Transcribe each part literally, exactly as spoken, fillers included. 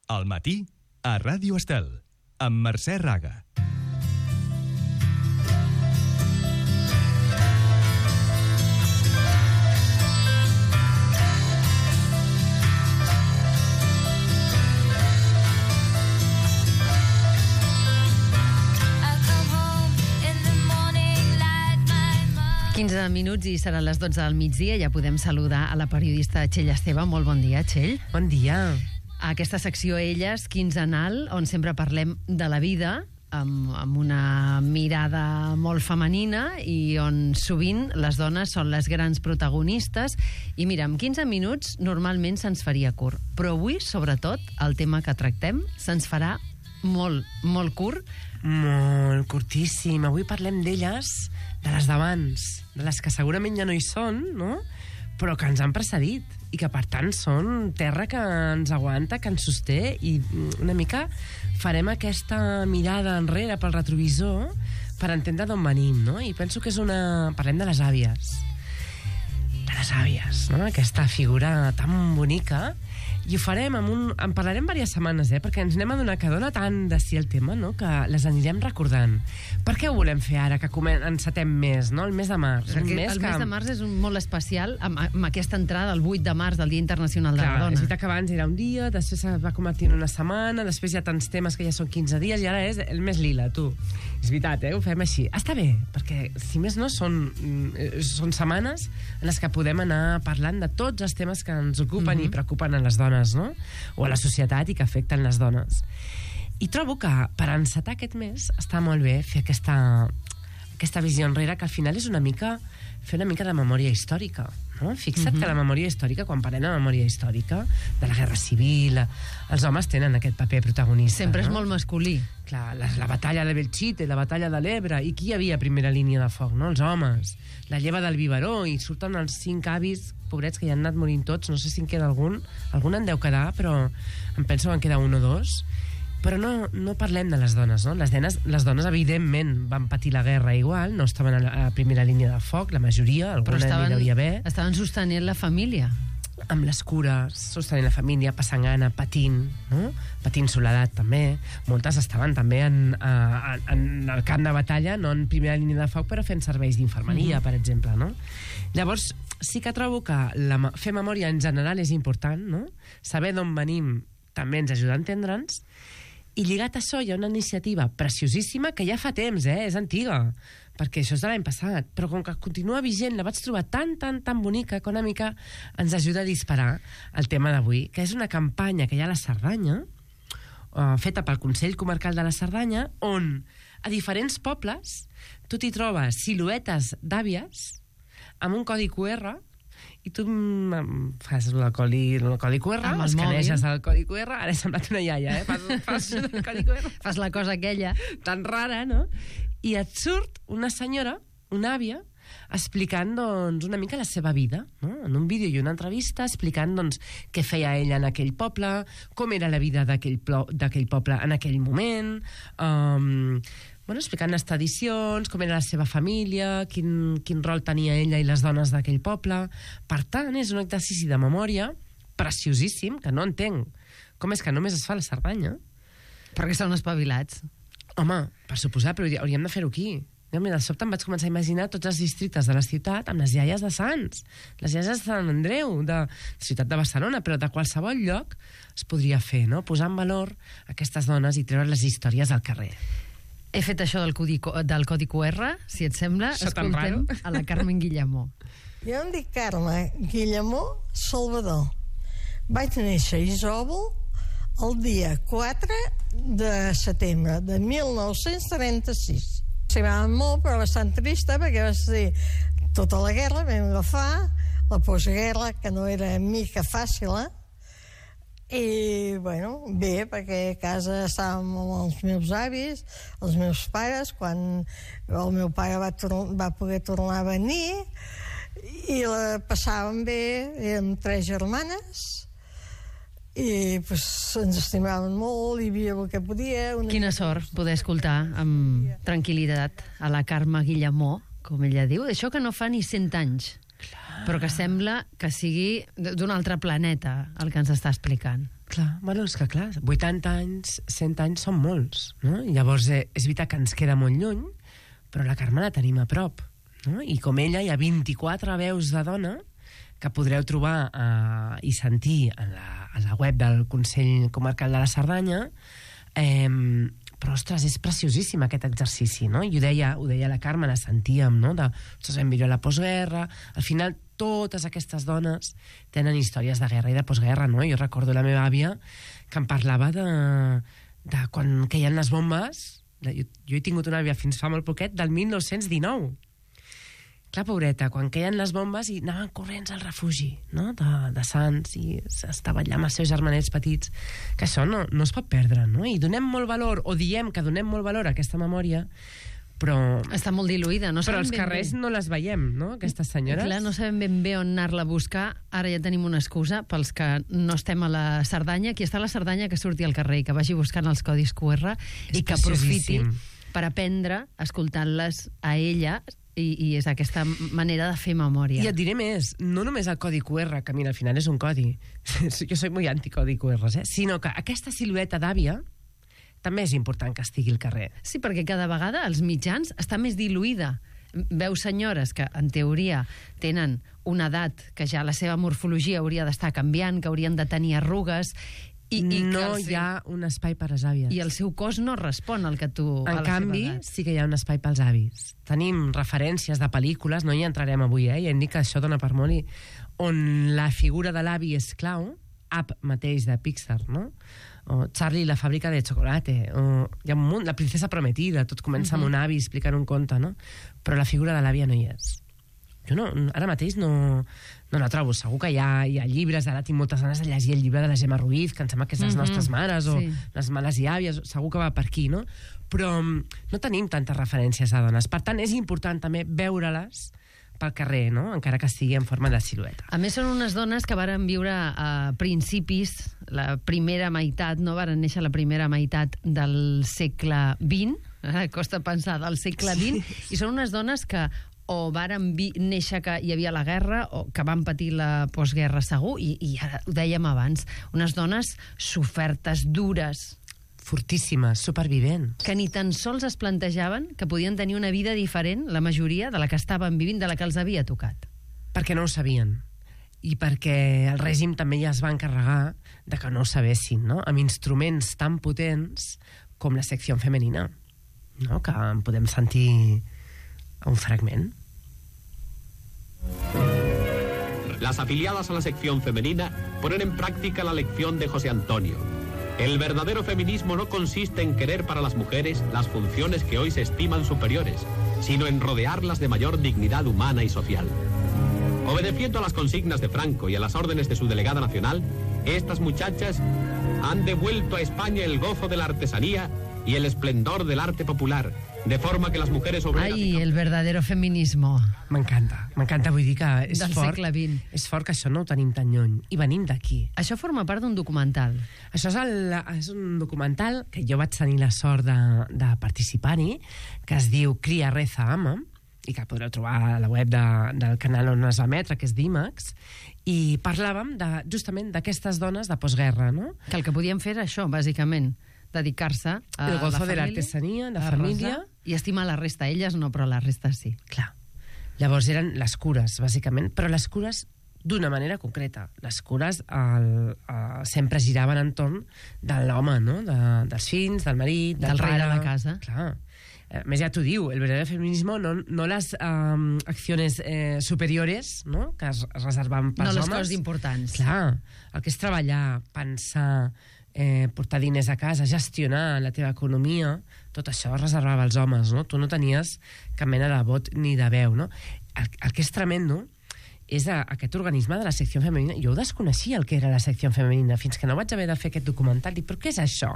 Al matí, a Ràdio Estel, amb Mercè Raga. quinze minuts i seran les dotze del migdia. Ja podem saludar a la periodista Txell Esteve. Molt bon dia, Txell. Bon dia. A aquesta secció Elles, quinzenal, on sempre parlem de la vida amb, amb una mirada molt femenina i on sovint les dones són les grans protagonistes. I mira, en quinze minuts normalment se'ns faria curt, però avui, sobretot, el tema que tractem se'ns farà molt, molt curt. Molt curtíssim. Avui parlem d'elles, de les d'abans, de les que segurament ja no hi són, no? Però que ens han precedit i que, per tant, són terra que ens aguanta, que ens sosté, i una mica farem aquesta mirada enrere pel retrovisor per entendre d'on venim, no? I penso que és una... Parlem de les àvies. De les àvies, no? Aquesta figura tan bonica. I ho farem amb un... En parlarem diverses setmanes, eh? Perquè ens anem a donar que dona tant de si el tema, no? Que les anirem recordant. Per què ho volem fer ara, que encetem mes, no? El mes de març. Perquè un mes el que... mes de març és un molt especial amb, amb aquesta entrada, el vuit de març, del Dia Internacional de Clar, la Dona. és veritat que abans era un dia, després es va convertir en una setmana, després hi ha tants temes que ja són quinze dies i ara és el mes lila, tu. És veritat, eh? Ho fem així. Està bé, perquè si més no són, són setmanes en les que podem anar parlant de tots els temes que ens ocupen mm-hmm. i preocupen a les dones, no? O a la societat i que afecten les dones. I trobo que per encetar aquest mes està molt bé fer aquesta, aquesta visió enrere, que al final és una mica fer una mica de memòria històrica, no? Fixa't mm-hmm. que la memòria històrica, quan parlem de memòria històrica, de la Guerra Civil, els homes tenen aquest paper protagonista. Sempre no? és molt masculí. Clar, la, la batalla de Belchite, la batalla de l'Ebre, i qui hi havia a primera línia de foc, no? Els homes. La lleva del biberó, i surten els cinc avis, pobrets, que ja han anat morint tots, no sé si en queda algun, algun en deu quedar, però em penso que en queda un o dos. Però no, no parlem de les dones, no? Les dones, les dones, evidentment, van patir la guerra igual, no estaven a la a primera línia de foc, la majoria, alguna n'hi devia haver. Estaven sostenint la família. Amb les cures, sostenint la família, passant gana, patint, no? Patint soledat, també. Moltes estaven també en, a, en el camp de batalla, no en primera línia de foc, però fent serveis d'infermeria, mm. per exemple, no? Llavors, sí que trobo que la, fer memòria en general és important, no? Saber d'on venim també ens ajuda a entendre'ns. I lligat a això hi ha una iniciativa preciosíssima que ja fa temps, eh? És antiga, perquè això és de l'any passat, però com que continua vigent, la vaig trobar tan, tan, tan bonica que una mica ens ajuda a disparar el tema d'avui, que és una campanya que hi ha a la Cerdanya, uh, feta pel Consell Comarcal de la Cerdanya, on a diferents pobles tu t'hi trobes siluetes d'àvies amb un codi cu erre, i tu fas el codi, el codi cu erre, escaneixes el codi cu erre, ara he semblat una iaia, eh? Fas, fas el codi cu erre. Fas la cosa aquella. Tan rara, no? I et surt una senyora, una àvia, explicant, doncs, una mica la seva vida, no? En un vídeo i una entrevista, explicant, doncs, què feia ella en aquell poble, com era la vida d'aquell poble en aquell moment, um, bueno, explicant les tradicions, com era la seva família, quin, quin rol tenia ella i les dones d'aquell poble. Per tant, és un exercici de memòria preciosíssim, que no entenc com és que només es fa a la Cerdanya. Perquè són espavilats. Home, per suposar, però hauríem de fer-ho aquí. Jo, mira, de sobte em vaig començar a imaginar tots els districtes de la ciutat amb les iaies de Sants, les iaies de Sant Andreu, de la ciutat de Barcelona, però de qualsevol lloc es podria fer, no? Posar en valor aquestes dones i treure les històries al carrer. He fet això del codi, del codi cu erre, si et sembla. Això escoltem a la Carmen Guillemó. Jo em dic Carme Guillemó Salvador. Vaig néixer a Isòvol el dia quatre de setembre de mil nou-cents trenta-sis. S'agradava molt, però bastant trista, perquè va ser tota la guerra, vam agafar la postguerra, que no era mica fàcil, eh? I, bueno, bé, perquè a casa estàvem amb els meus avis, els meus pares, quan el meu pare va, va poder tornar a venir, i la passàvem bé, érem tres germanes, i pues, ens estimaven molt, hi havia el que podia. Una... Quina sort poder escoltar amb tranquil·litat a la Carme Guillemó, com ella diu, això que no fa ni cent anys. Clar. Però que sembla que sigui d'un altre planeta el que ens està explicant. Clar, bueno, és que clar, vuitanta anys, cent anys són molts, no? I llavors eh, és veritat que ens queda molt lluny, però la Carme la tenim a prop, no? I com ella hi ha vint-i-quatre veus de dona que podreu trobar eh, i sentir a la, a la web del Consell Comarcal de la Cerdanya. Eh, però, ostres, és preciosíssim aquest exercici, no? I ho deia, ho deia la Carme, la sentíem, no? De, ostres, vam viure la postguerra. Al final, totes aquestes dones tenen històries de guerra i de postguerra, no? Jo recordo la meva àvia que em parlava de, de quan queien les bombes. Jo, jo he tingut una àvia fins fa molt poquet, del mil nou-cents dinou. Clar, pobreta, quan queien les bombes i anaven corrents al refugi, no?, de, de Sants, i estava allà amb els seus germanets petits, que això no, no es pot perdre, no? I donem molt valor, o diem que donem molt valor a aquesta memòria, però... Està molt diluïda, no però sabem als ben carrers bé. no les veiem, no?, aquestes senyores. Clar, no sabem ben bé on anar-la a buscar. Ara ja tenim una excusa pels que no estem a la Cerdanya. Qui està a la Cerdanya que surti al carrer i que vagi buscant els codis Q R És i que aprofiti preciosíssim. per aprendre escoltant-les a ella, i, i és aquesta manera de fer memòria. I et diré més, no només el codi Q R, que mira, al final és un codi, jo soy muy anticodi Q R, eh? Sinó que aquesta silueta d'àvia també és important que estigui al carrer. Sí, perquè cada vegada els mitjans està més diluïda. Veus senyores que, en teoria, tenen una edat que ja la seva morfologia hauria d'estar canviant, que haurien de tenir arrugues, i, i no que el seu, hi ha un espai per les àvies. i el seu cos no respon al que tu... a En la canvi, seva edat. sí que hi ha un espai pels avis. Tenim referències de pel·lícules, no hi entrarem avui, eh? Ja hem dit que això dona per molt, i on la figura de l'avi és clau, Up mateix de Pixar, no? O Charlie la fàbrica de chocolate, o hi ha un munt, La princesa prometida, tot comença uh -huh. amb un avi explicant un conte, no? Però la figura de l'àvia no hi és. Jo no, ara mateix no, no la trobo. Segur que hi ha, hi ha llibres, ara tinc moltes ganes de llegir el llibre de la Gemma Ruiz, que em sembla que és Les Mhm. nostres mares, o Sí. Les males i àvies, segur que va per aquí, no? Però mm, no tenim tantes referències a dones. Per tant, és important també veure-les pel carrer, no?, encara que estigui en forma de silueta. A més, són unes dones que varen viure a principis, la primera meitat, no varen néixer la primera meitat del segle vint, ara costa pensar, del segle vint, i són unes dones que o varen vi néixer que hi havia la guerra o que van patir la postguerra segur, i, i ara ho dèiem abans, unes dones sofertes, dures, Fortíssimes, supervivents. que ni tan sols es plantejaven que podien tenir una vida diferent, la majoria, de la que estaven vivint, de la que els havia tocat. Perquè no ho sabien. I perquè el règim també ja es va encarregar de que no ho sabessin, no?, amb instruments tan potents com la secció femenina, no?, que en podem sentir un fragment. Las afiliadas a la sección femenina ponen en práctica la lección de José Antonio. El verdadero feminismo no consiste en querer para las mujeres las funciones que hoy se estiman superiores, sino en rodearlas de mayor dignidad humana y social. Obedeciendo a las consignas de Franco y a las órdenes de su delegada nacional, estas muchachas han devuelto a España el gozo de la artesanía y el esplendor del arte popular, de forma que las mujeres obreras... Ai, el verdadero feminismo. M'encanta, m'encanta, vull dir que és Del fort, segle vint. és fort que això no ho tenim tan lluny, i venim d'aquí. Això forma part d'un documental. Això és, el, és un documental que jo vaig tenir la sort de, de participar-hi, que es diu Cria, Reza, Ama, i que podreu trobar a la web de, del canal on es va emetre, que és d'IMAX, i parlàvem de, justament d'aquestes dones de postguerra, no? Que el que podien fer era això, bàsicament, dedicar-se a El gozo la de família, l'artesanía, la a família. resar i estimar la resta. Elles no, però la resta sí. Clar. Llavors eren les cures, bàsicament, però les cures d'una manera concreta. Les cures el, el, sempre giraven entorn de l'home, no?, de, dels fills, del marit, del, Del rei pare. de la casa. Clar. A més, ja t'ho diu, el verdadero feminismo no, no les um, acciones eh, superiores, no?, que es, es reservaven pels No les homes. coses importants. Clar, el que és treballar, pensar, eh, portar diners a casa, gestionar la teva economia, tot això es reservava als homes, no? Tu no tenies cap mena de vot ni de veu, no? El, el que és tremendo és a, aquest organisme de la secció femenina. Jo ho desconeixia, el que era la secció femenina, fins que no vaig haver de fer aquest documental. Dic, però què és això?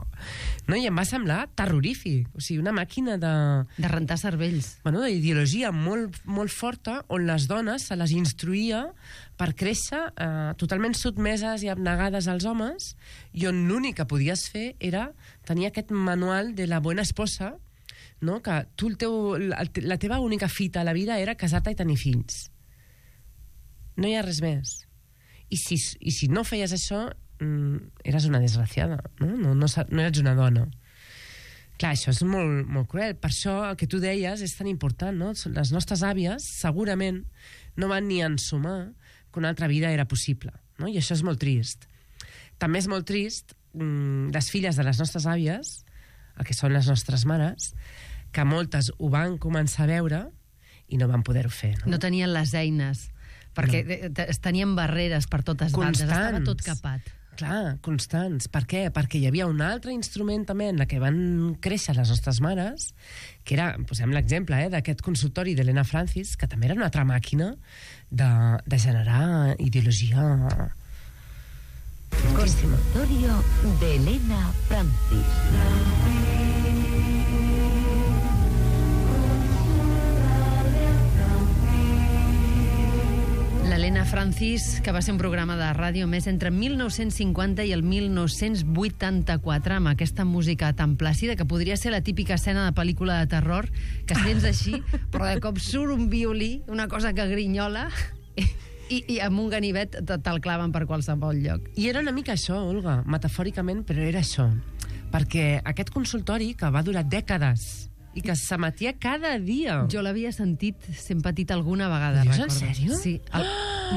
No? I em va semblar terrorífic. O sigui, una màquina de... De rentar cervells. Bueno, d'ideologia molt, molt forta, on les dones se les instruïa per créixer eh, totalment sotmeses i abnegades als homes, i on l'únic que podies fer era tenir aquest manual de la buena esposa, no? Que tu, el teu, la, la teva única fita a la vida era casar-te i tenir fills. No hi ha res més. I si, i si no feies això, mm, eres una desgraciada, no? No, no, no eres una dona. Clar, això és molt, molt cruel. Per això el que tu deies és tan important, no? Les nostres àvies segurament no van ni ensumar que una altra vida era possible, no? I això és molt trist. També és molt trist mmm, les filles de les nostres àvies, el que són les nostres mares, que moltes ho van començar a veure i no van poder-ho fer. No, no tenien les eines, perquè no. es tenien barreres per totes bandes, estava tot capat. Clar, constants. Per què? Perquè hi havia un altre instrument també en la que van créixer les nostres mares, que era, posem l'exemple, eh, d'aquest consultori d'Helena Francis, que també era una altra màquina de, de generar ideologia. Consultorio de Helena Francis. L'Helena Francis, que va ser un programa de ràdio més entre mil nou-cents cinquanta i el mil nou-cents vuitanta-quatre, amb aquesta música tan plàcida, que podria ser la típica escena de pel·lícula de terror, que sents així, però de cop surt un violí, una cosa que grinyola, i, i amb un ganivet te'l claven per qualsevol lloc. I era una mica això, Olga, metafòricament, però era això. Perquè aquest consultori, que va durar dècades, i que s'emetia cada dia. Jo l'havia sentit, sempre petit alguna vegada. Dius, en sèrio? Sí, el,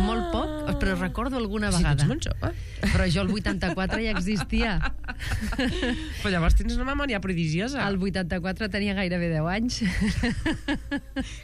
molt poc, però recordo alguna sí, vegada. Sí, tu ets molt jove. Però jo el vuitanta-quatre ja existia. Però llavors tens una memòria prodigiosa. El vuitanta-quatre tenia gairebé deu anys.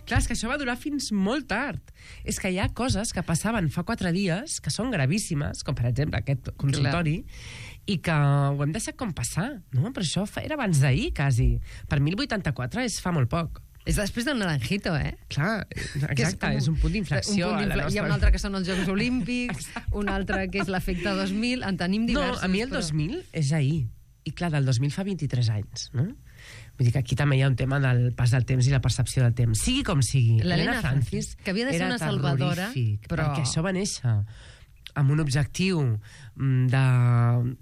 Clar, és que això va durar fins molt tard. És que hi ha coses que passaven fa quatre dies que són gravíssimes, com per exemple aquest consultori, clar, i que ho hem deixat com passar, no? Però això era abans d'ahir, quasi. Per mi el vuitanta-quatre és fa molt poc. És després del Naranjito, eh? Clar, exacte, és, com, és un punt d'inflexió. Nostra... Hi ha un altre que són els Jocs Olímpics, un altre que és l'efecte dos mil, en tenim diversos. No, a mi el però... dos mil és ahir. I clar, del dos mil fa vint-i-tres anys, no? Vull dir que aquí també hi ha un tema del pas del temps i la percepció del temps. Sigui com sigui. L'Helena Francis, que havia de ser una salvadora, però... perquè això va néixer amb un objectiu de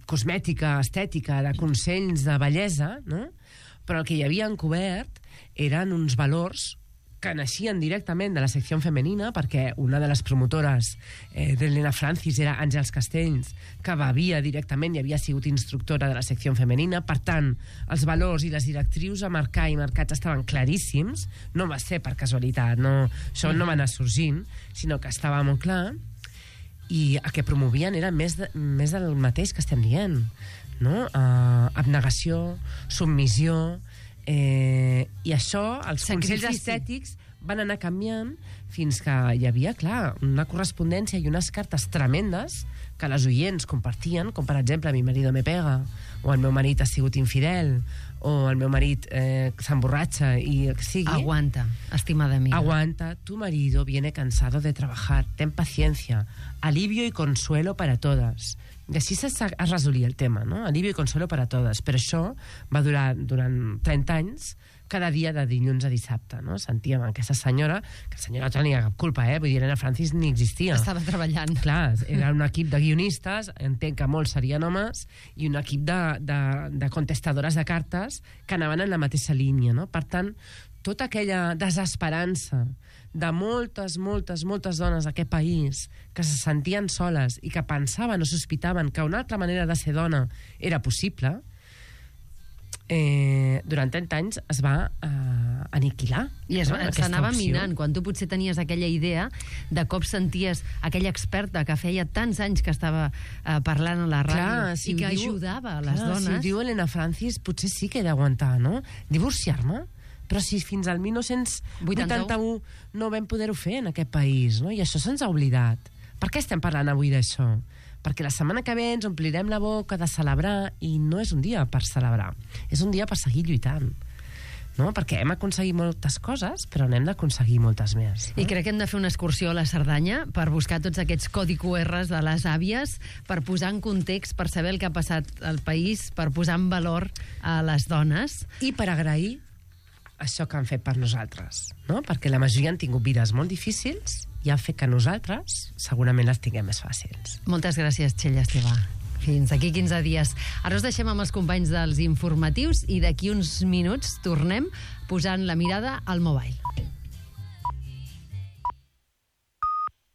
cosmètica, estètica, de consells de bellesa, no? Però el que hi havia encobert eren uns valors que naixien directament de la secció femenina, perquè una de les promotores eh, d'Helena Francis era Àngels Castells, que bevia directament i havia sigut instructora de la secció femenina. Per tant, els valors i les directrius a marcar i marcats estaven claríssims. No va ser per casualitat, no, això no va anar sorgint, sinó que estava molt clar. I el que promovien era més, de, més del mateix que estem dient, no? Uh, abnegació, submissió, eh, i això, els sacrifici. Consells estètics van anar canviant fins que hi havia, clar, una correspondència i unes cartes tremendes que les oients compartien, com per exemple mi marido me pega, o el meu marit ha sigut infidel, o el meu marit eh, s'emborratxa i el que sigui. Aguanta, estimada amiga. Aguanta, tu marido viene cansado de trabajar, ten paciencia, alivio y consuelo para todas. I així es resolia el tema, no? Alivio i consuelo para todas. Però això va durar durant trenta anys, cada dia de dilluns a dissabte, no? Sentíem aquesta senyora, que la senyora no tenia cap culpa, eh? Vull dir, Helena Francis ni existia. Estava treballant. Clar, era un equip de guionistes, entenc que molts serien homes, i un equip de, de, de contestadores de cartes que anaven en la mateixa línia, no? Per tant, tota aquella desesperança de moltes, moltes, moltes dones d'aquest país que se sentien soles i que pensaven o sospitaven que una altra manera de ser dona era possible, eh, durant trenta anys es va eh, aniquilar. I es, no? S'anava minant. Quan tu potser tenies aquella idea, de cop senties aquella experta que feia tants anys que estava eh, parlant a la ràdio, clar, si i que diu, ajudava a les clar, dones. Si ho diu Helena Francis, potser sí que he d'aguantar, no? Divorciar-me? Però si fins al dinou vuitanta-u no vam poder-ho fer en aquest país, no? I això se'ns ha oblidat. Per què estem parlant avui d'això? Perquè la setmana que ve ens omplirem la boca de celebrar, i no és un dia per celebrar, és un dia per seguir lluitant. No? Perquè hem aconseguit moltes coses, però n'hem d'aconseguir moltes més. No? I crec que hem de fer una excursió a la Cerdanya per buscar tots aquests codi cu erres de les àvies, per posar en context, per saber el que ha passat al país, per posar en valor a les dones. I per agrair això que han fet per nosaltres, no? Perquè la majoria han tingut vides molt difícils i han fet que nosaltres segurament les tinguem més fàcils. Moltes gràcies, Txell Esteve. Fins aquí quinze dies. Ara us deixem amb els companys dels informatius i d'aquí uns minuts tornem posant la mirada al mobile.